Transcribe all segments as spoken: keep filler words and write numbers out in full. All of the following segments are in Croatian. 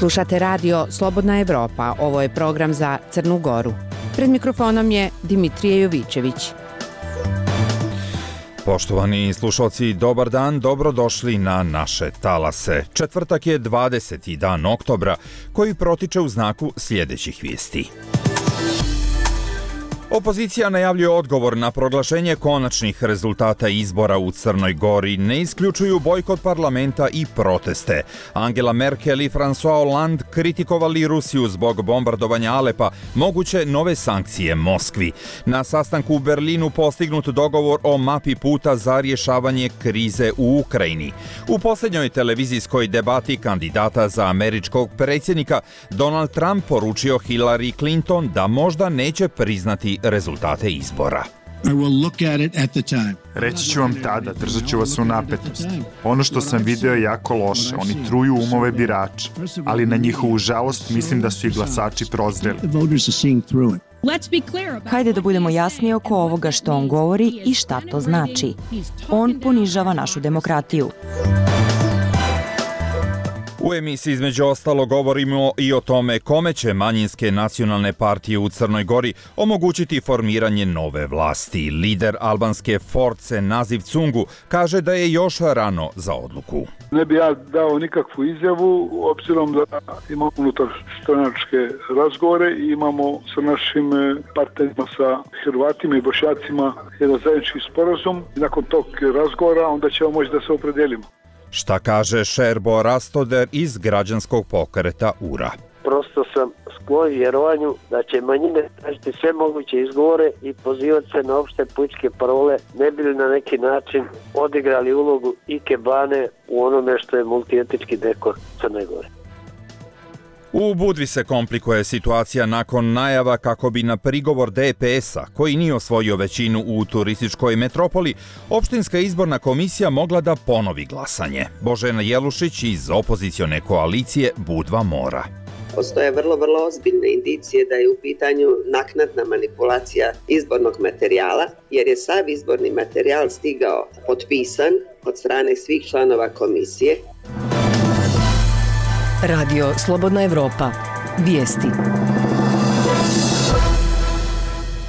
Slušate radio Slobodna Evropa, ovo je program za Crnu Goru. Pred mikrofonom je Dimitrije Jovićević. Poštovani slušalci, dobar dan, dobrodošli na naše talase. Četvrtak je dvadeseti dan oktobra, koji protiče u znaku sljedećih vijesti. Opozicija najavljuje odgovor na proglašenje konačnih rezultata izbora u Crnoj Gori, ne isključuju bojkot parlamenta i proteste. Angela Merkel i François Hollande kritikovali Rusiju zbog bombardovanja Alepa, moguće nove sankcije Moskvi. Na sastanku u Berlinu postignut dogovor o mapi puta za rješavanje krize u Ukrajini. U posljednjoj televizijskoj debati kandidata za američkog predsjednika, Donald Trump poručio Hillary Clinton da možda neće priznati rezultate izbora. Reći ću vam tada, držat ću vas u napetost. Ono što sam video je jako loše, oni truju umove birača, ali na njihovu žalost mislim da su i glasači prozreli. Hajde da budemo jasni oko ovoga što on govori i šta to znači. On ponižava našu demokratiju. U emisiji između ostalo govorimo i o tome kome će manjinske nacionalne partije u Crnoj Gori omogućiti formiranje nove vlasti. Lider albanske Force Naziv Cungu kaže da je još rano za odluku. Ne bi ja dao nikakvu izjavu, obzirom da imamo unutar stranačke razgovore i imamo sa našim partnerima, sa Hrvatima i Bošnjacima jedan zajednički sporazum. Nakon tog razgovora onda ćemo moći da se opredelimo. Šta kaže Šerbo Rastoder iz građanskog pokreta U R A? Prosto sam sklon vjerovanju da će manjine tražiti sve moguće izgovore i pozivati se na opšte političke parole, ne bi li na neki način odigrali ulogu ikebane u onome što je multietnički dekor Crne Gore. U Budvi se komplikuje situacija nakon najava kako bi na prigovor D P S-a, koji nije osvojio većinu u turističkoj metropoli, opštinska izborna komisija mogla da ponovi glasanje. Božena Jelušić iz opozicione koalicije Budva Mora. Postoje vrlo, vrlo ozbiljne indicije da je u pitanju naknadna manipulacija izbornog materijala, jer je sav izborni materijal stigao potpisan od strane svih članova komisije. Radio Slobodna Evropa. Vijesti.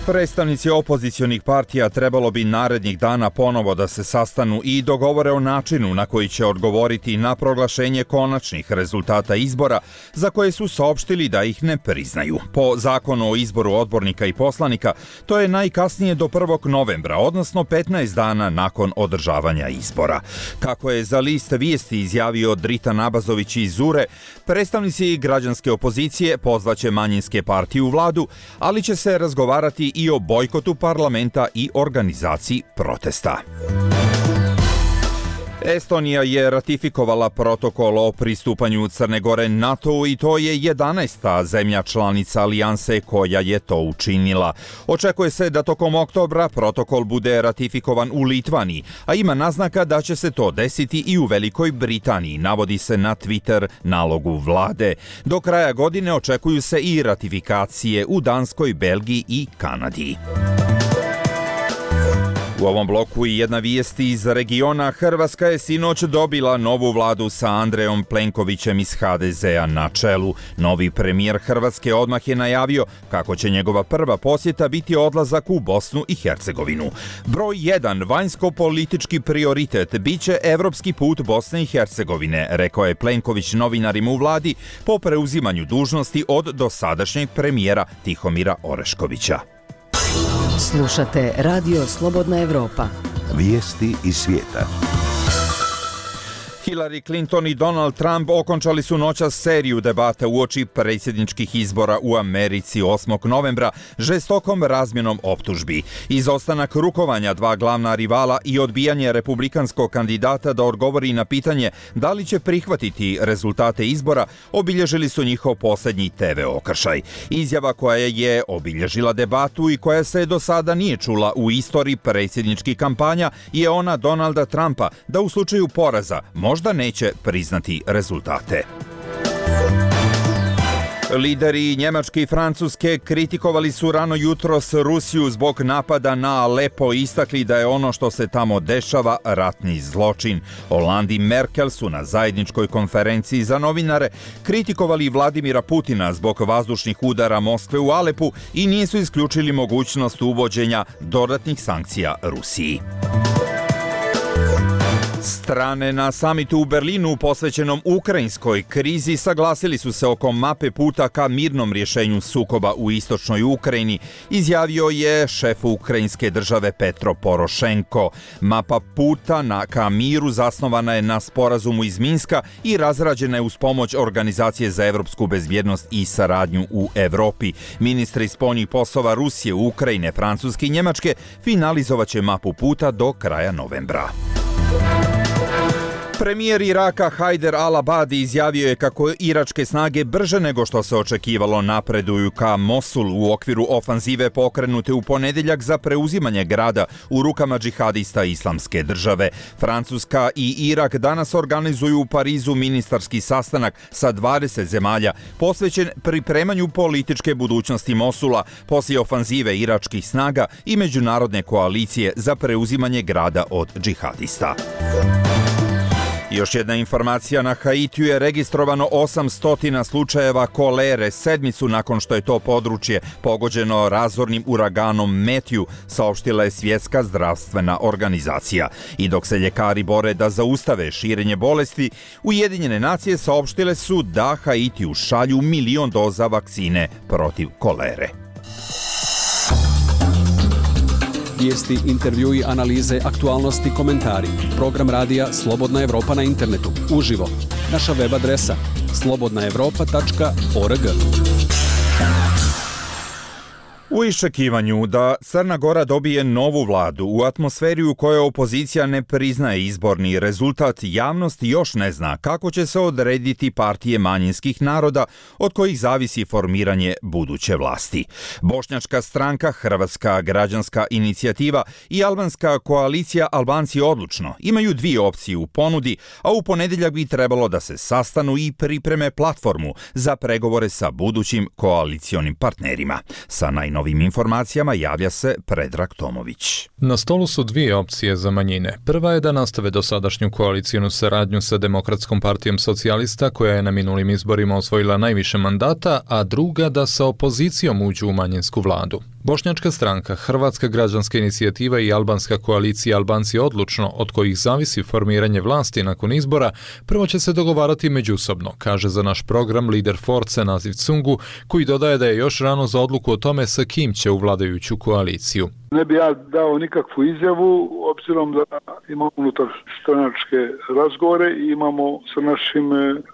Predstavnici opozicionih partija trebalo bi narednih dana ponovo da se sastanu i dogovore o načinu na koji će odgovoriti na proglašenje konačnih rezultata izbora za koje su saopštili da ih ne priznaju. Po zakonu o izboru odbornika i poslanika, to je najkasnije do prvog novembra, odnosno petnaest dana nakon održavanja izbora. Kako je za list vijesti izjavio Dritan Abazović iz U R E, predstavnici građanske opozicije pozvaće manjinske partije u vladu, ali će se razgovarati i o bojkotu parlamenta i organizaciji protesta. Estonija je ratifikovala protokol o pristupanju Crne Gore NATO i to je jedanaesta zemlja članica alijanse koja je to učinila. Očekuje se da tokom oktobra protokol bude ratifikovan u Litvaniji, a ima naznaka da će se to desiti i u Velikoj Britaniji, navodi se na Twitter nalogu vlade. Do kraja godine očekuju se i ratifikacije u Danskoj, Belgiji i Kanadi. U ovom bloku i jedna vijest iz regiona. Hrvatska je sinoć dobila novu vladu sa Andrejom Plenkovićem iz H D Z-a na čelu. Novi premijer Hrvatske odmah je najavio kako će njegova prva posjeta biti odlazak u Bosnu i Hercegovinu. Broj jedan vanjsko-politički prioritet biće evropski put Bosne i Hercegovine, rekao je Plenković novinarima u vladi po preuzimanju dužnosti od dosadašnjeg premijera Tihomira Oreškovića. Slušate Radio Slobodna Evropa. Vijesti iz svijeta. Hillary Clinton i Donald Trump okončali su noćas seriju debata uoči predsjedničkih izbora u Americi osmog novembra žestokom razmjenom optužbi. Izostanak rukovanja dva glavna rivala i odbijanje republikanskog kandidata da odgovori na pitanje da li će prihvatiti rezultate izbora obilježili su njihov posljednji T V okršaj. Izjava koja je obilježila debatu i koja se do sada nije čula u istoriji predsjedničkih kampanja je ona Donalda Trumpa da u slučaju poraza možda neće priznati rezultate. Lideri Njemačke i Francuske kritikovali su rano jutros Rusiju zbog napada na Alepo i istakli da je ono što se tamo dešava ratni zločin. Hollande i Merkel su na zajedničkoj konferenciji za novinare kritikovali Vladimira Putina zbog vazdušnih udara Moskve u Alepu i nisu isključili mogućnost uvođenja dodatnih sankcija Rusiji. Strane na samitu u Berlinu posvećenom ukrajinskoj krizi saglasili su se oko mape puta ka mirnom rješenju sukoba u istočnoj Ukrajini, izjavio je šef ukrajinske države Petro Porošenko. Mapa puta na ka miru zasnovana je na sporazumu iz Minska i razrađena je uz pomoć Organizacije za evropsku bezbjednost i saradnju u Evropi. Ministri spoljnih poslova Rusije, Ukrajine, Francuske i Njemačke finalizovaće mapu puta do kraja novembra. Premijer Iraka Hajder al-Abadi izjavio je kako iračke snage brže nego što se očekivalo napreduju ka Mosulu u okviru ofanzive pokrenute u ponedjeljak za preuzimanje grada u rukama džihadista Islamske države. Francuska i Irak danas organizuju u Parizu ministarski sastanak sa dvadeset zemalja posvećen pripremanju političke budućnosti Mosula poslije ofanzive iračkih snaga i međunarodne koalicije za preuzimanje grada od džihadista. Još jedna informacija, na Haitiju je registrovano osamsto slučajeva kolere, sedmicu nakon što je to područje pogođeno razornim uraganom Matthew, saopštila je Svjetska zdravstvena organizacija. I dok se ljekari bore da zaustave širenje bolesti, Ujedinjene nacije saopštile su da Haitiju šalju milion doza vakcine protiv kolere. Vijesti, intervjui, analize, aktualnosti, komentari. Program radija Slobodna Evropa na internetu. Uživo. Naša web adresa slobodna evropa tačka org. U iščekivanju da Crna Gora dobije novu vladu u atmosferi u kojoj opozicija ne priznaje izborni rezultat, javnost još ne zna kako će se odrediti partije manjinskih naroda od kojih zavisi formiranje buduće vlasti. Bošnjačka stranka, Hrvatska građanska inicijativa i albanska koalicija Albanci odlučno imaju dvije opcije u ponudi, a u ponedjeljak bi trebalo da se sastanu i pripreme platformu za pregovore sa budućim koalicionim partnerima. Sa najnovijim Ovim informacijama javlja se Predrag Tomović. Na stolu su dvije opcije za manjine. Prva je da nastave dosadašnju koalicijnu saradnju sa Demokratskom partijom socijalista, koja je na minulim izborima osvojila najviše mandata, a druga da sa opozicijom uđu u manjinsku vladu. Bošnjačka stranka, Hrvatska građanska inicijativa i albanska koalicija Albanci odlučno, od kojih zavisi formiranje vlasti nakon izbora, prvo će se dogovarati međusobno, kaže za naš program lider Force Naziv Cungu, koji dodaje da je još rano za odluku o tome sa kim će u vladajuću koaliciju. Ne bi ja dao nikakvu izjavu, obzirom da imamo unutar stranačke razgovore i imamo sa našim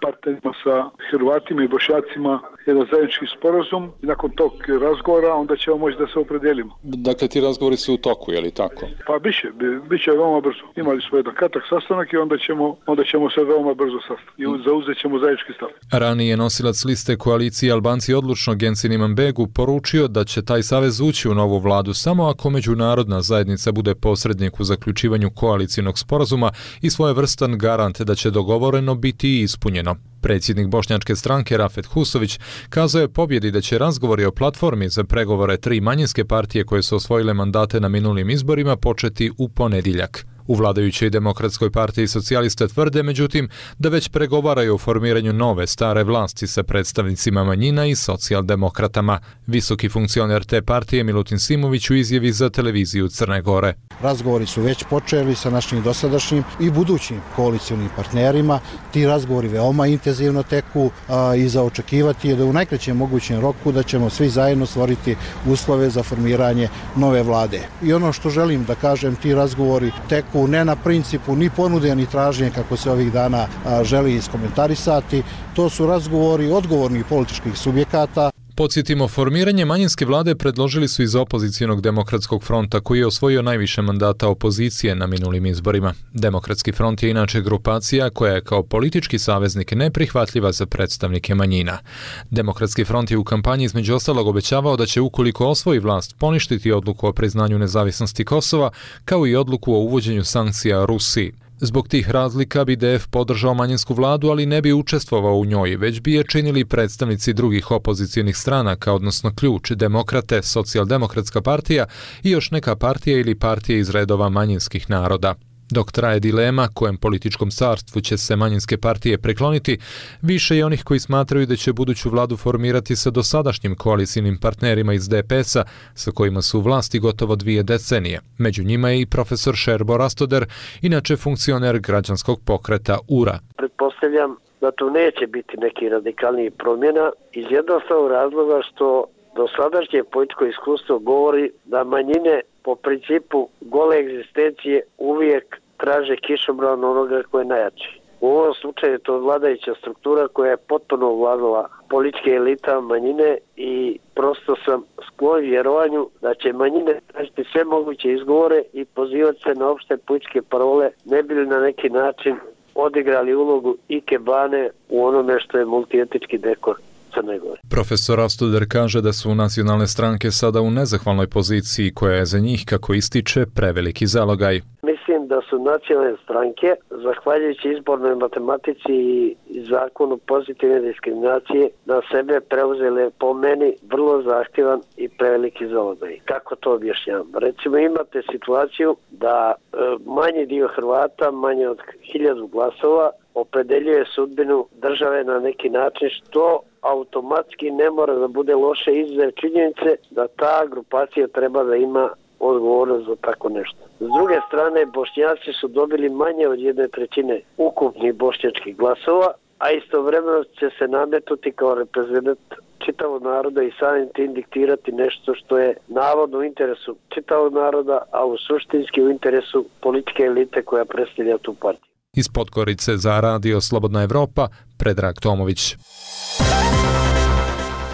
partnerima, sa Hrvatima i Bošnjacima, jedan zajednički sporazum i nakon tog razgovora onda ćemo moći da se opredelimo. Dakle, ti razgovori su u toku, je li tako? Pa biće, biće veoma brzo. Imali smo jedan kratak sastanak i onda ćemo, onda ćemo se veoma brzo sastati i zauzet ćemo zajednički stav. Ranije nosilac liste koalicije Albanci odlučno Gensin Imanbegu poručio da će taj savez ući u novu vladu samo ako međunarodna zajednica bude posrednik u zaključivanju koalicijnog sporazuma i svojevrstan garant da će dogovoreno biti ispunjeno. Predsjednik bošnjačke stranke Rafet Husović kazao je pobjedi da će razgovori o platformi za pregovore tri manjinske partije koje su osvojile mandate na minulim izborima početi u ponedjeljak. U vladajućoj Demokratskoj partiji socijalista tvrde, međutim, da već pregovaraju o formiranju nove stare vlasti sa predstavnicima manjina i socijaldemokratama. Visoki funkcioner te partije Milutin Simović u izjavi za televiziju Crne Gore. Razgovori su već počeli sa našim dosadašnjim i budućim koalicionim partnerima. Ti razgovori veoma intenzivno teku a, i za očekivati je da u najkraćem mogućem roku da ćemo svi zajedno stvoriti uslove za formiranje nove vlade. I ono što želim da kažem, ti razgovori teku ne na principu ni ponude ni traženje kako se ovih dana a, želi iskomentarisati. To su razgovori odgovornih političkih subjekata. Podsjetimo, formiranje manjinske vlade predložili su iz opozicijonog Demokratskog fronta, koji je osvojio najviše mandata opozicije na minulim izborima. Demokratski front je inače grupacija koja je kao politički saveznik neprihvatljiva za predstavnike manjina. Demokratski front je u kampanji između ostalog obećavao da će, ukoliko osvoji vlast, poništiti odluku o priznanju nezavisnosti Kosova, kao i odluku o uvođenju sankcija Rusiji. Zbog tih razlika bi D F podržao manjinsku vladu, ali ne bi učestvovao u njoj, već bi je činili predstavnici drugih opozicionih stranaka, odnosno Ključ, Demokrate, Socijaldemokratska partija i još neka partija ili partija iz redova manjinskih naroda. Dok traje dilema kojem političkom carstvu će se manjinske partije prekloniti, više je onih koji smatraju da će buduću vladu formirati sa dosadašnjim koalicijnim partnerima iz D P S-a, sa kojima su u vlasti gotovo dvije decenije. Među njima je i profesor Šerbo Rastoder, inače funkcioner građanskog pokreta U R A. Pretpostavljam da tu neće biti neki radikalnijih promjena iz jednostavnog razloga što dosadašnje političko iskustvo govori da manjine po principu gole egzistencije uvijek traže kišobran onoga koje je najjači. U ovom slučaju je to vladajuća struktura koja je potpuno ovladala političke elita manjine i prosto sam sklon vjerovanju da će manjine tražiti sve moguće izgovore i pozivati se na opšte političke parole, ne bi li na neki način odigrali ulogu ikebane u onome što je multietički dekor Crne Gore. Profesor Rastoder kaže da su nacionalne stranke sada u nezahvalnoj poziciji koja je za njih, kako ističe, preveliki zalogaj. Mislim da su nacionalne stranke, zahvaljujući izbornoj matematici i zakonu pozitivne diskriminacije, na sebe preuzele po meni vrlo zahtjevan i preveliki zalogaj. Kako to objašnjam? Recimo imate situaciju da e, manji dio Hrvata, manje od hiljadu glasova, opredeljuje sudbinu države na neki način, što automatski ne mora da bude loše izuzev činjenice da ta grupacija treba da ima odgovornost za tako nešto. S druge strane, Bošnjaci su dobili manje od jedne trećine ukupnih bošnjačkih glasova, a istovremeno će se nametnuti kao reprezentant čitavog naroda i samim tim diktirati nešto što je navodno u interesu čitavog naroda, a u suštinski u interesu političke elite koja predstavlja tu partiju. Iz Podgorice za Radio Slobodna Evropa, Predrag Tomović.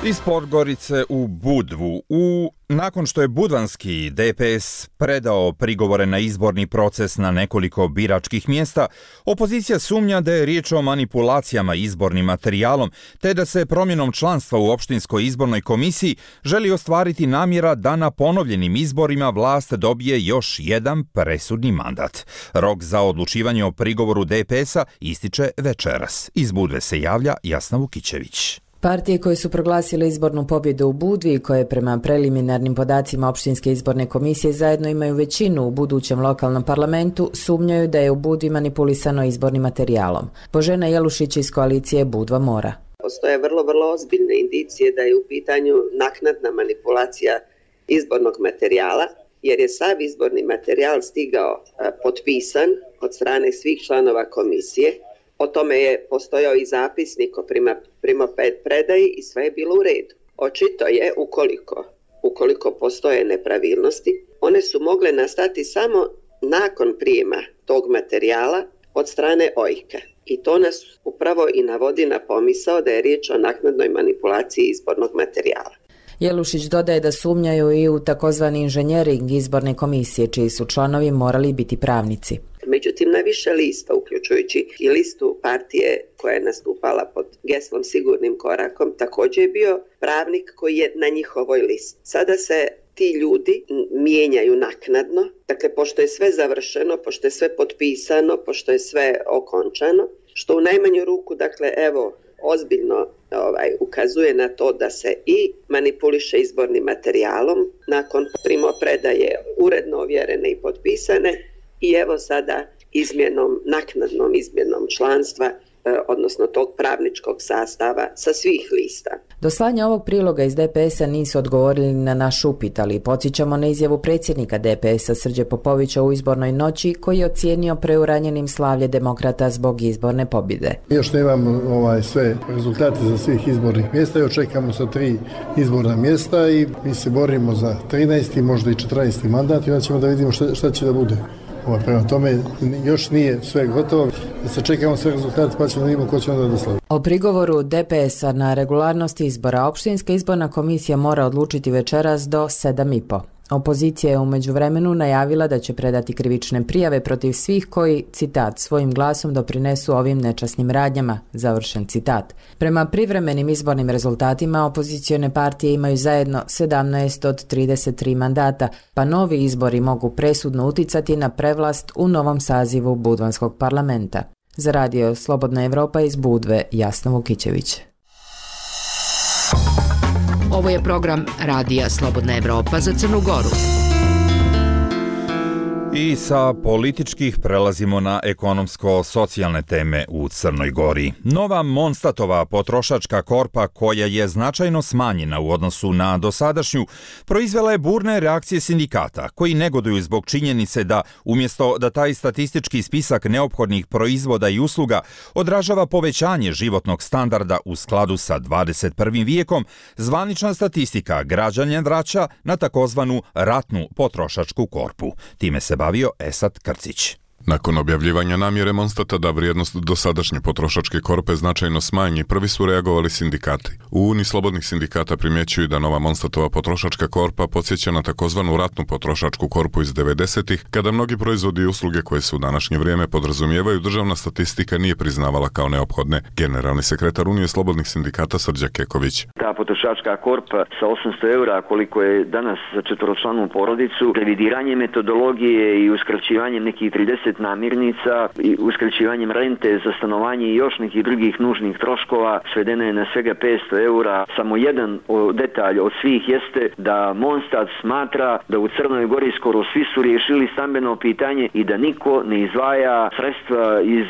Iz Podgorice u Budvu. U, nakon što je budvanski D P S predao prigovore na izborni proces na nekoliko biračkih mjesta, opozicija sumnja da je riječ o manipulacijama izbornim materijalom, te da se promjenom članstva u opštinskoj izbornoj komisiji želi ostvariti namjera da na ponovljenim izborima vlast dobije još jedan presudni mandat. Rok za odlučivanje o prigovoru D P S-a ističe večeras. Iz Budve se javlja Jasna Vukićević. Partije koje su proglasile izbornu pobjedu u Budvi i koje prema preliminarnim podacima opštinske izborne komisije zajedno imaju većinu u budućem lokalnom parlamentu, sumnjaju da je u Budvi manipulisano izbornim materijalom. Božena Jelušić iz koalicije Budva Mora. Postoje vrlo, vrlo ozbiljne indicije da je u pitanju naknadna manipulacija izbornog materijala, jer je sav izborni materijal stigao potpisan od strane svih članova komisije. O tome je postojao i zapisnik o prima, primopredaji i sve je bilo u redu. Očito je, ukoliko, ukoliko postoje nepravilnosti, one su mogle nastati samo nakon prijema tog materijala od strane O I K-a. I to nas upravo i navodi na pomisao da je riječ o naknadnoj manipulaciji izbornog materijala. Jelušić dodaje da sumnjaju i u takozvani inženjering izborne komisije, čiji su članovi morali biti pravnici. Međutim, na više lista, uključujući i listu partije koja je nastupala pod geslom Sigurnim korakom, također je bio pravnik koji je na njihovoj listi. Sada se ti ljudi mijenjaju naknadno, dakle, pošto je sve završeno, pošto je sve potpisano, pošto je sve okončano, što u najmanju ruku, dakle, evo, ozbiljno ovaj, ukazuje na to da se i manipuliše izbornim materijalom nakon primopredaje uredno ovjerene i potpisane i evo sada izmjenom, naknadnom izmjenom članstva, odnosno tog pravničkog sastava sa svih lista. Do slanja ovog priloga iz D P S-a nisu odgovorili na naš upit, ali podsjećamo na izjavu predsjednika D P S-a Srđe Popovića u izbornoj noći, koji je ocijenio preuranjenim slavlje demokrata zbog izborne pobjede. Još nemam ovaj, sve rezultate za svih izbornih mjesta, još čekamo sa tri izborna mjesta i mi se borimo za trinaesti, možda i četrnaesti mandat i onda ćemo da vidimo šta, šta će da bude. Ovo, prema tome, još nije sve gotovo, da se čekamo sve rezultate pa ćemo da vidimo ko će onda da slavi. O prigovoru D P S-a na regularnost izbora opštinska izborna komisija mora odlučiti večeras do sedam i po. Opozicija je u međuvremenu najavila da će predati krivične prijave protiv svih koji, citat, svojim glasom doprinesu ovim nečasnim radnjama, završen citat. Prema privremenim izbornim rezultatima, opozicione partije imaju zajedno sedamnaest od trideset tri mandata, pa novi izbori mogu presudno uticati na prevlast u novom sazivu Budvanskog parlamenta. Za radio Slobodna Evropa iz Budve, Jasna Vukićević. Ovo je program Radija Slobodna Evropa za Crnu Goru. I sa političkih prelazimo na ekonomsko-socijalne teme u Crnoj Gori. Nova Monstatova potrošačka korpa, koja je značajno smanjena u odnosu na dosadašnju, proizvela je burne reakcije sindikata, koji negoduju zbog činjenice da, umjesto da taj statistički spisak neophodnih proizvoda i usluga odražava povećanje životnog standarda u skladu sa dvadeset prvim vijekom, zvanična statistika građane vraća na takozvanu ratnu potrošačku korpu. Time se bavio Esad Krcić. Nakon objavljivanja namjere Monstata da vrijednost dosadašnje potrošačke korpe značajno smanji, prvi su reagovali sindikati. U Uniji slobodnih sindikata primjećuju da nova Monstatova potrošačka korpa podsjeća na takozvanu ratnu potrošačku korpu iz devedesetih, kada mnogi proizvodi i usluge koje se u današnje vrijeme podrazumijevaju državna statistika nije priznavala kao neophodne. Generalni sekretar Unije slobodnih sindikata Srđa Keković. Ta potrošačka korpa sa osamsto eura, koliko je danas za četvoročlanu porodicu, revidiranje metodologije i uskraćivanjem nekih trideset namirnica i uskraćivanjem rente za stanovanje i još nekih drugih nužnih troškova svedena je na svega petsto eura. Samo jedan detalj od svih jeste da Monstat smatra da u Crnoj Gori skoro svi su riješili stambeno pitanje i da niko ne izdvaja sredstva iz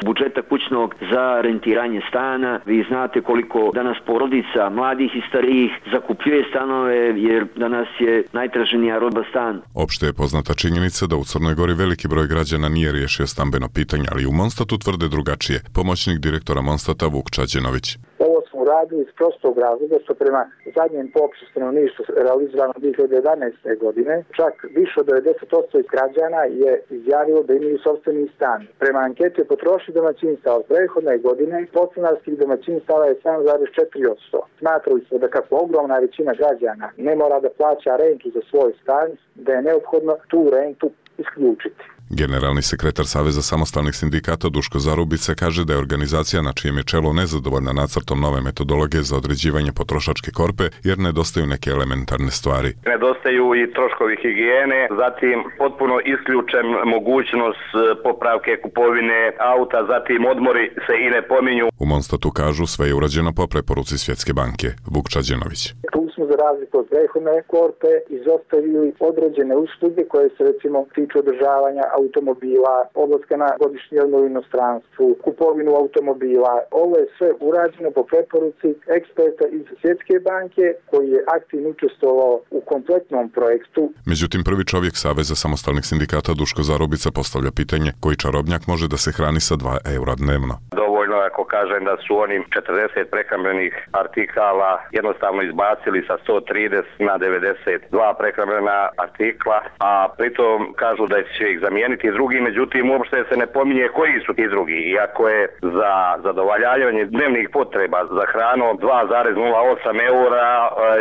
budžeta kućnog za rentiranje stana. Vi znate koliko danas porodica, mladih i starijih, zakupljuje stanove jer danas je najtraženija roba stan. Opšte je poznata činjenica da u Crnoj Gori veliki broj građana nije riješio stambeno pitanje, ali u Monstatu tvrde drugačije. Pomoćnik direktora Monstata Vuk Čađenović. Ovo smo uradili iz prostog razloga što prema zadnjem popisu stanovništva realiziranom dvije hiljade jedanaeste. godine čak više od devedeset posto građana je izjavilo da imaju sopstveni stan. Prema anketi potrošnje domaćinstva od prethodne godine podstanarskih domaćinstava je sedam zarez četiri posto. Smatrali smo da kako ogromna većina građana ne mora da plaća rentu za svoj stan, da je neophodno tu rentu isključiti. Generalni sekretar Saveza samostalnih sindikata Duško Zarubica kaže da je organizacija na čijem je čelu nezadovoljna nacrtom nove metodologije za određivanje potrošačke korpe jer nedostaju neke elementarne stvari. Nedostaju i troškovi higijene, zatim potpuno isključen mogućnost popravke kupovine auta, zatim odmori se i ne pominju. U Monstatu kažu sve je urađeno po preporuci Svjetske banke. Vuk Čađenović. Tu smo za razliku od prethodne korpe izostavili određene usluge koje se recimo tiču održavanja automobila, odlaska na godišnji odmor u inostranstvu, kupovinu automobila. Ovo je sve urađeno po preporuci eksperta iz Svjetske banke koji je aktivno učestvovao u kompletnom projektu. Međutim, prvi čovjek Saveza samostalnih sindikata Duško Zarubica postavlja pitanje koji čarobnjak može da se hrani sa dva eura dnevno. Dovoljno ako kažem da su oni četrdeset prehrambenih artikala jednostavno izbacili sa sto trideset na devedeset dva prehrambena artikla, a pritom kažu da će ih zamijeniti drugi, međutim uopšte se ne pominje koji su ti drugi. Iako je za zadovoljavanje dnevnih potreba za hranu dva zarez nula osam eura,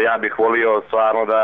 ja bih volio stvarno da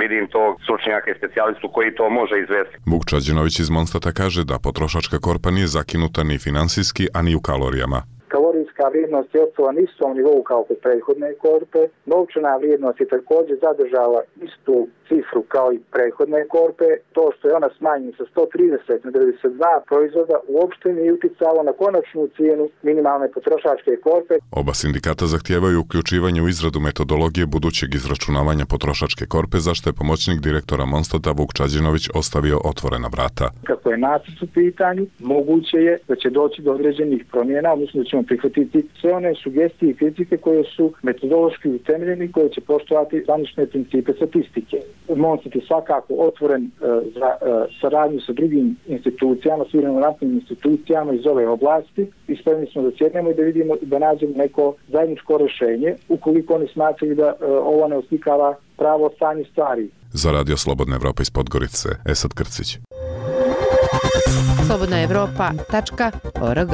vidim tog stručnjaka i specijalistu koji to može izvesti. Vuk Čađenović iz Monstata kaže da potrošačka korpa nije zakinuta ni finansijski, a ni u kalorijama. Kalorijska vrijednost je ostala na istom nivou kao kod prethodne korpe. Novčana vrijednost je također zadržala istu cifru kao i prethodne korpe. To što je ona smanjena sa sto trideset na devedeset dva proizvoda uopšte nije uticalo na konačnu cijenu minimalne potrošačke korpe. Oba sindikata zahtijevaju uključivanje u izradu metodologije budućeg izračunavanja potrošačke korpe, zašto je pomoćnik direktora Monstata Vuk Čađenović ostavio otvorena vrata. Kako je nacrt u pitanju, moguće je da će doći do određenih promjena, odnosno da ćemo prihvatiti sve one sugestije i kritike koje su metodološki utemeljeni, koje će poštovati zvanične principe statistike. Monstat je svakako otvoren uh, za uh, saradnju sa drugim institucijama, sa relevantnim institucijama iz ove oblasti i spremni smo da sjednemo i da vidimo da nađemo neko zajedničko rješenje ukoliko oni smatraju da uh, ovo ne oslikava pravo stanje stvari. Za Radio Slobodna Evropa iz Podgorice, Esad Krcić. slobodna evropa tačka org.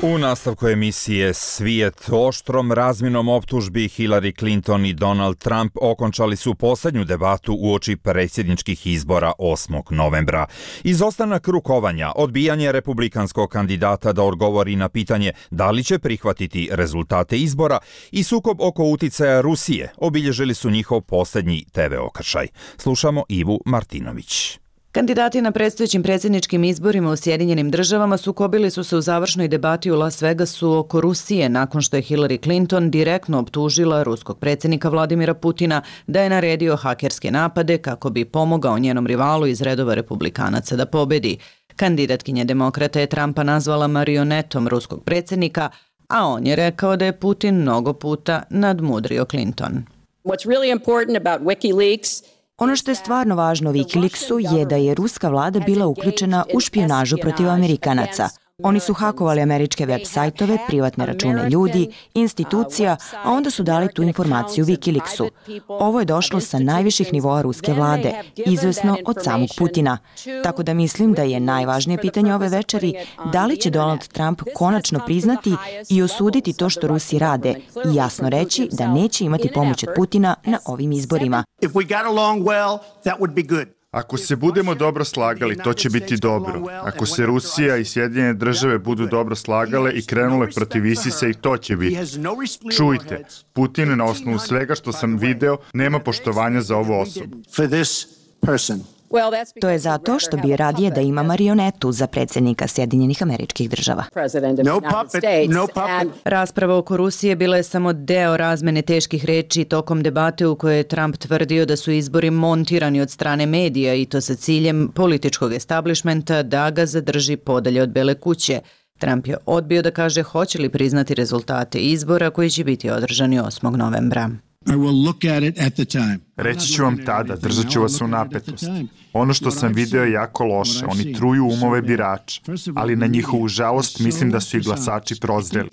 U nastavku emisije Svijet oštrom razmjenom optužbi Hillary Clinton i Donald Trump okončali su posljednju debatu uoči predsjedničkih izbora osmog novembra. Izostanak rukovanja, odbijanje republikanskog kandidata da odgovori na pitanje da li će prihvatiti rezultate izbora i sukob oko uticaja Rusije obilježili su njihov posljednji te ve okršaj. Slušamo Ivu Martinović. Kandidati na predstojećim predsjedničkim izborima u Sjedinjenim državama sukobili su se u završnoj debati u Las Vegasu oko Rusije nakon što je Hillary Clinton direktno optužila ruskog predsjednika Vladimira Putina da je naredio hakerske napade kako bi pomogao njenom rivalu iz redova republikanaca da pobedi. Kandidatkinja demokrata je Trumpa nazvala marionetom ruskog predsjednika, a on je rekao da je Putin mnogo puta nadmudrio Clinton. What's really important about WikiLeaks Ono što je stvarno važno Wikileaksu je da je ruska vlada bila uključena u špijunažu protiv Amerikanaca. Oni su hakovali američke web sajtove, privatne račune ljudi, institucija, a onda su dali tu informaciju Wikileaksu. Ovo je došlo sa najviših nivoa ruske vlade, izvesno od samog Putina. Tako da mislim da je najvažnije pitanje ove večeri da li će Donald Trump konačno priznati i osuditi to što Rusi rade i jasno reći da neće imati pomoć od Putina na ovim izborima. Ako se budemo dobro slagali, to će biti dobro. Ako se Rusija i Sjedinjene države budu dobro slagale i krenule protiv ISIS-a, i to će biti. Čujte, Putin na osnovu svega što sam video nema poštovanja za ovu osobu. To je zato što bi radije da ima marionetu za predsjednika Sjedinjenih Američkih Država. No puppet, no puppet. Rasprava oko Rusije bila je samo deo razmene teških reči tokom debate u kojoj je Trump tvrdio da su izbori montirani od strane medija i to sa ciljem političkog establishmenta da ga zadrži podalje od Bele kuće. Trump je odbio da kaže hoće li priznati rezultate izbora koji će biti održani osmog novembra. I will look at it at the time. Reći ću vam tada, držat ću vas u napetosti. Ono što sam video je jako loše, oni truju umove birača, ali na njihovu žalost mislim da su i glasači prozreli.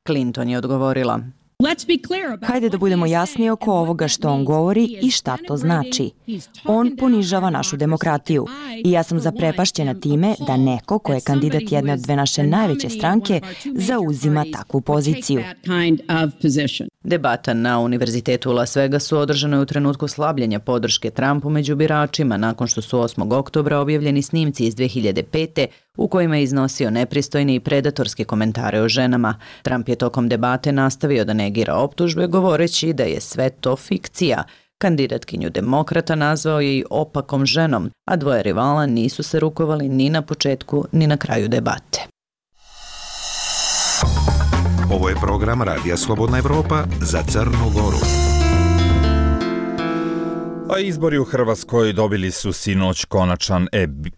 Clinton je odgovorila: Hajde da budemo jasni oko ovoga što on govori i šta to znači. On ponižava našu demokratiju i ja sam zaprepašćena time da neko ko je kandidat jedne od dve naše najveće stranke zauzima takvu poziciju. Debata na Univerzitetu u Las Vegasu održana je u trenutku slabljenja podrške Trumpu među biračima nakon što su osmog oktobra objavljeni snimci iz dve hiljade pete u kojima je iznosio nepristojne i predatorske komentare o ženama. Trump je tokom debate nastavio da negira optužbe govoreći da je sve to fikcija. Kandidatkinju demokrata nazvao je i opakom ženom, a dvoje rivala nisu se rukovali ni na početku ni na kraju debate. Ovo je program Radija Slobodna Evropa za Crnu Goru. A izbori u Hrvatskoj dobili su sinoć konačan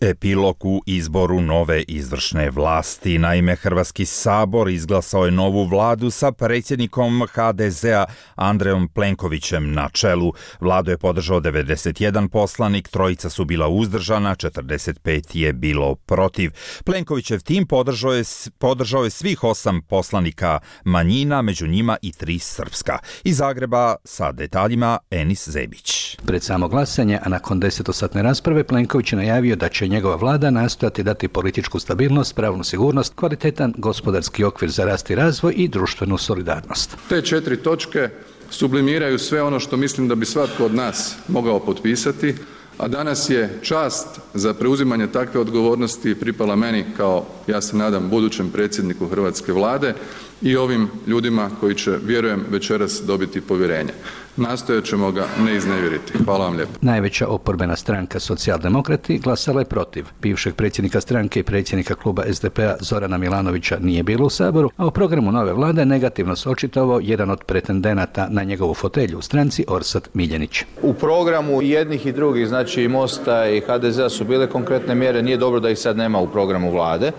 epilog u izboru nove izvršne vlasti. Naime, Hrvatski sabor izglasao je novu vladu sa predsjednikom ha de zea Andrejom Plenkovićem na čelu. Vladu je podržao devedeset jedan poslanik, trojica su bila uzdržana, četrdeset pet je bilo protiv. Plenkovićev tim podržao je, podržao je svih osam poslanika manjina, među njima i tri srpska. Iz Zagreba sa detaljima Enis Zebić. Pred samo glasanje, a nakon desetosatne rasprave, Plenković je najavio da će njegova vlada nastojati dati političku stabilnost, pravnu sigurnost, kvalitetan gospodarski okvir za rast i razvoj i društvenu solidarnost. Te četiri točke sublimiraju sve ono što mislim da bi svatko od nas mogao potpisati, a danas je čast za preuzimanje takve odgovornosti pripala meni kao, ja se nadam, budućem predsjedniku hrvatske vlade i ovim ljudima koji će, vjerujem, večeras dobiti povjerenje. Nastojat ćemo ga ne iznevjeriti. Hvala vam lijepo. Najveća oporbena stranka Socijaldemokrati glasala je protiv. Bivšeg predsjednika stranke i predsjednika kluba es de pe a Zorana Milanovića nije bilo u Saboru, a u programu nove vlade negativno se očitovao jedan od pretendenata na njegovu fotelju u stranci, Orsat Miljenić. U programu jednih i drugih, znači i Mosta i ha de zea su bile konkretne mjere, nije dobro da ih sad nema u programu vlade.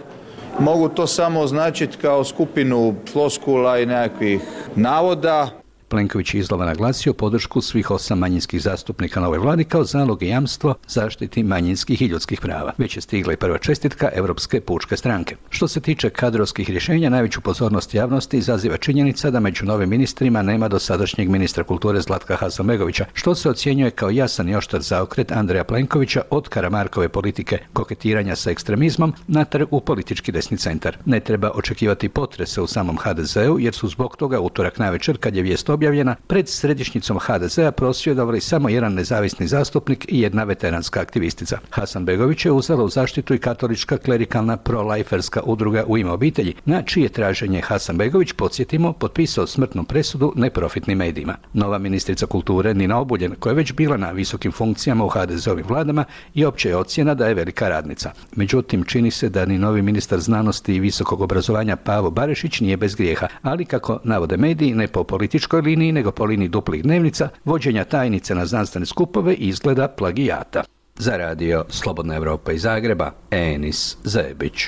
Mogu to samo označiti kao skupinu floskula i nekakvih navoda. Plenković je izlova naglasio podršku svih osam manjinskih zastupnika novoj vladi kao zalog i jamstvo zaštiti manjinskih i ljudskih prava. Već je stigla i prva čestitka Evropske pučke stranke. Što se tiče kadrovskih rješenja, najveću pozornost javnosti izaziva činjenica da među novim ministrima nema dosadašnjeg ministra kulture Zlatka Hasanbegovića, što se ocjenjuje kao jasan i oštar zaokret Andreja Plenkovića od Karamarkove politike koketiranja sa ekstremizmom natrag u politički desni centar. Ne treba očekivati potrese u samom ha de zeu jer su zbog toga utorak navečer kad je vijest objavljena pred središnjicom ha de zea prosvjedovali samo jedan nezavisni zastupnik i jedna veteranska aktivistica. Hasanbegović je uzela u zaštitu i katolička klerikalna pro-liferska udruga U ime obitelji, na čije traženje Hasanbegović, podsjetimo, potpisao smrtnu presudu neprofitnim medijima. Nova ministrica kulture Nina Obuljen, koja je već bila na visokim funkcijama u ha de zeovim vladama, i opće je ocjena da je velika radnica. Međutim, čini se da ni novi ministar znanosti i visokog obrazovanja Pavo Barišić nije bez grijeha, ali kako navode mediji, ne po političkoj liniji, nego po liniji duplih dnevnica, vođenja tajnice na znanstvene skupove izgleda plagijata. Za radio Slobodna Evropa iz Zagreba, Enis Zebić.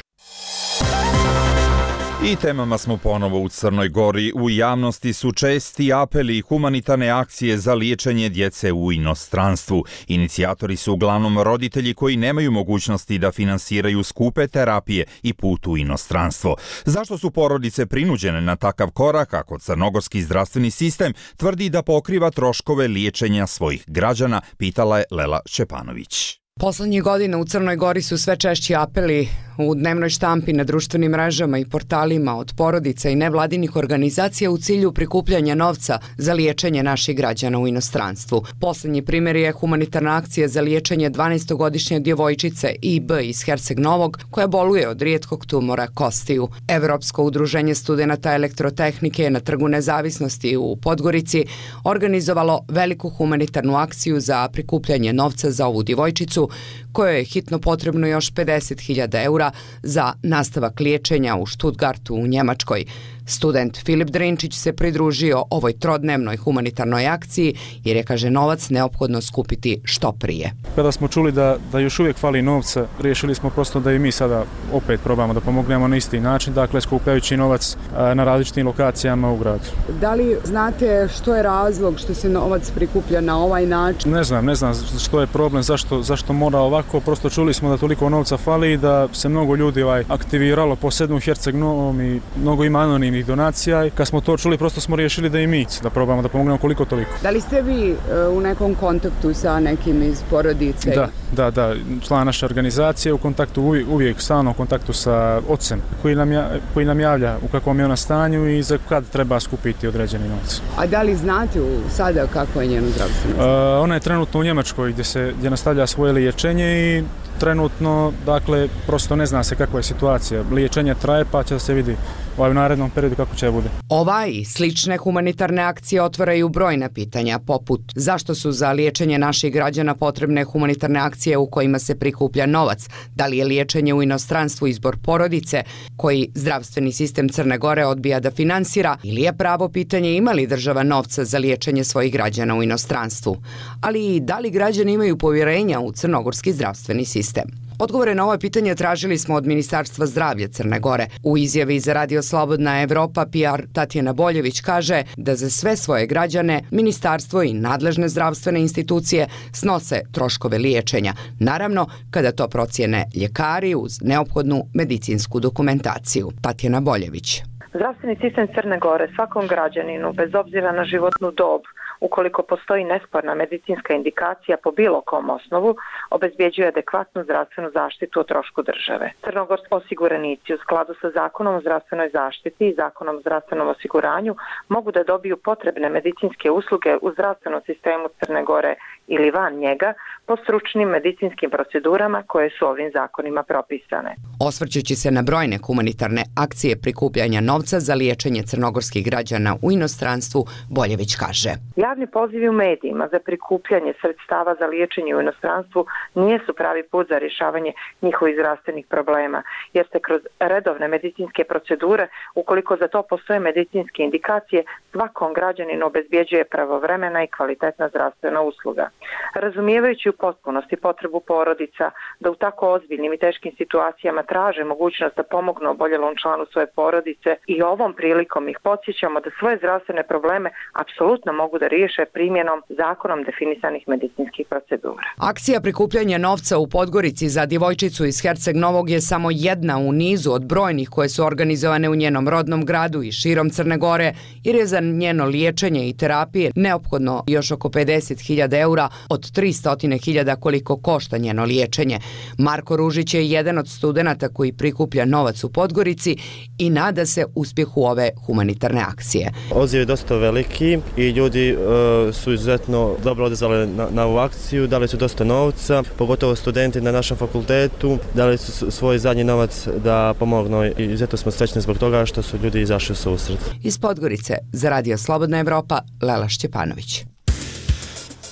I temama smo ponovo u Crnoj Gori. U javnosti su česti apeli i humanitarne akcije za liječenje djece u inostranstvu. Inicijatori su uglavnom roditelji koji nemaju mogućnosti da finansiraju skupe terapije i put u inostranstvo. Zašto su porodice prinuđene na takav korak ako crnogorski zdravstveni sistem tvrdi da pokriva troškove liječenja svojih građana, pitala je Lela Šćepanović. Poslednjih godina u Crnoj Gori su sve češći apeli u dnevnoj štampi na društvenim mrežama i portalima od porodica i nevladinih organizacija u cilju prikupljanja novca za liječenje naših građana u inostranstvu. Poslednji primjer je humanitarna akcija za liječenje dvanaestogodišnje djevojčice I B iz Herceg Novog koja boluje od rijetkog tumora kostiju. Evropsko udruženje studenata elektrotehnike je na Trgu Nezavisnosti u Podgorici organizovalo veliku humanitarnu akciju za prikupljanje novca za ovu djevojčicu kojoj je hitno potrebno još pedeset hiljada eura za nastavak liječenja u Stuttgartu u Njemačkoj. Student Filip Drinčić se pridružio ovoj trodnevnoj humanitarnoj akciji jer je, kaže, novac neophodno skupiti što prije. Kada smo čuli da, da još uvijek fali novca, riješili smo prosto da i mi sada opet probamo da pomognemo na isti način, dakle skupljajući novac na različitim lokacijama u gradu. Da li znate što je razlog što se novac prikuplja na ovaj način? Ne znam, ne znam što je problem, zašto, zašto mora ovako, prosto čuli smo da toliko novca fali i da se mnogo ljudi ovaj, aktiviralo, posebno u Herceg Novom i mnogo ima anonimnih donacija i kad smo to čuli prosto smo riješili da i mi da probamo da pomognemo koliko toliko. Da li ste vi uh, u nekom kontaktu sa nekim iz porodice? Da, da, da, član naše organizacije u kontaktu uvijek, uvijek stalno u kontaktu sa ocem koji nam, ja, koji nam javlja u kakvom je ona stanju i za kad treba skupiti određeni novac. A da li znate u sada kako je njeno zdravstveno? Uh, ona je trenutno u Njemačkoj gdje se gdje nastavlja svoje liječenje i trenutno, dakle, prosto ne zna se kakva je situacija. Liječenje traje pa će da se vidi u narednom periodu kako će bude. Ova i slične humanitarne akcije otvaraju brojna pitanja poput zašto su za liječenje naših građana potrebne humanitarne akcije u kojima se prikuplja novac, da li je liječenje u inostranstvu izbor porodice koji zdravstveni sistem Crne Gore odbija da finansira ili je pravo pitanje ima li država novca za liječenje svojih građana u inostranstvu, ali i da li građani imaju povjerenja u crnogorski zdravstveni sistem. Odgovore na ovo pitanje tražili smo od Ministarstva zdravlja Crne Gore. U izjavi za Radio Slobodna Evropa P R Tatjana Boljević kaže da za sve svoje građane ministarstvo i nadležne zdravstvene institucije snose troškove liječenja. Naravno, kada to procijene ljekari uz neophodnu medicinsku dokumentaciju. Tatjana Boljević. Zdravstveni sistem Crne Gore svakom građaninu, bez obzira na životnu dob, ukoliko postoji nesporna medicinska indikacija po bilo kom osnovu, obezbjeđuje adekvatnu zdravstvenu zaštitu o trošku države. Crnogorski osiguranici u skladu sa Zakonom o zdravstvenoj zaštiti i Zakonom o zdravstvenom osiguranju mogu da dobiju potrebne medicinske usluge u zdravstvenom sistemu Crne Gore ili van njega po stručnim medicinskim procedurama koje su ovim zakonima propisane. Osvrćući se na brojne humanitarne akcije prikupljanja novca za liječenje crnogorskih građana u inostranstvu, Boljević kaže. Ja Javni pozivi u medijima za prikupljanje sredstava za liječenje u inostranstvu nijesu pravi put za rješavanje njihovih zdravstvenih problema, jer se kroz redovne medicinske procedure, ukoliko za to postoje medicinske indikacije, svakom građaninu obezbjeđuje pravovremena i kvalitetna zdravstvena usluga. Razumijevajući u potpunosti potrebu porodica da u tako ozbiljnim i teškim situacijama traže mogućnost da pomognu oboljelom članu svoje porodice i ovom prilikom ih podsjećamo da svoje zdravstvene probleme apsolutno mogu da riješe primjenom zakonom definisanih medicinskih procedura. Akcija prikupljanja novca u Podgorici za djevojčicu iz Herceg Novog je samo jedna u nizu od brojnih koje su organizovane u njenom rodnom gradu i širom Crne Gore, jer je za njeno liječenje i terapije neophodno još oko pedeset hiljada eura od tristo hiljada koliko košta njeno liječenje. Marko Ružić je jedan od studenata koji prikuplja novac u Podgorici i nada se uspjehu ove humanitarne akcije. Odziv je dosta veliki i ljudi uh, su izuzetno dobro odazvali na, na ovu akciju, dali su dosta novca, pogotovo studenti na našem fakultetu, dali su svoj zadnji novac da pomognu i izuzetno smo srećni zbog toga što su ljudi izašli u susret. Iz Podgorice za Radio Slobodna Evropa, Lela Šćepanović.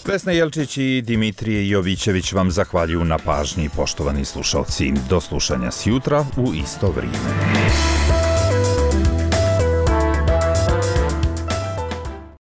Vesna Jelčić i Dimitrije Jovićević vam zahvaljuju na pažnji, poštovani slušalci. Do slušanja sjutra u isto vrijeme.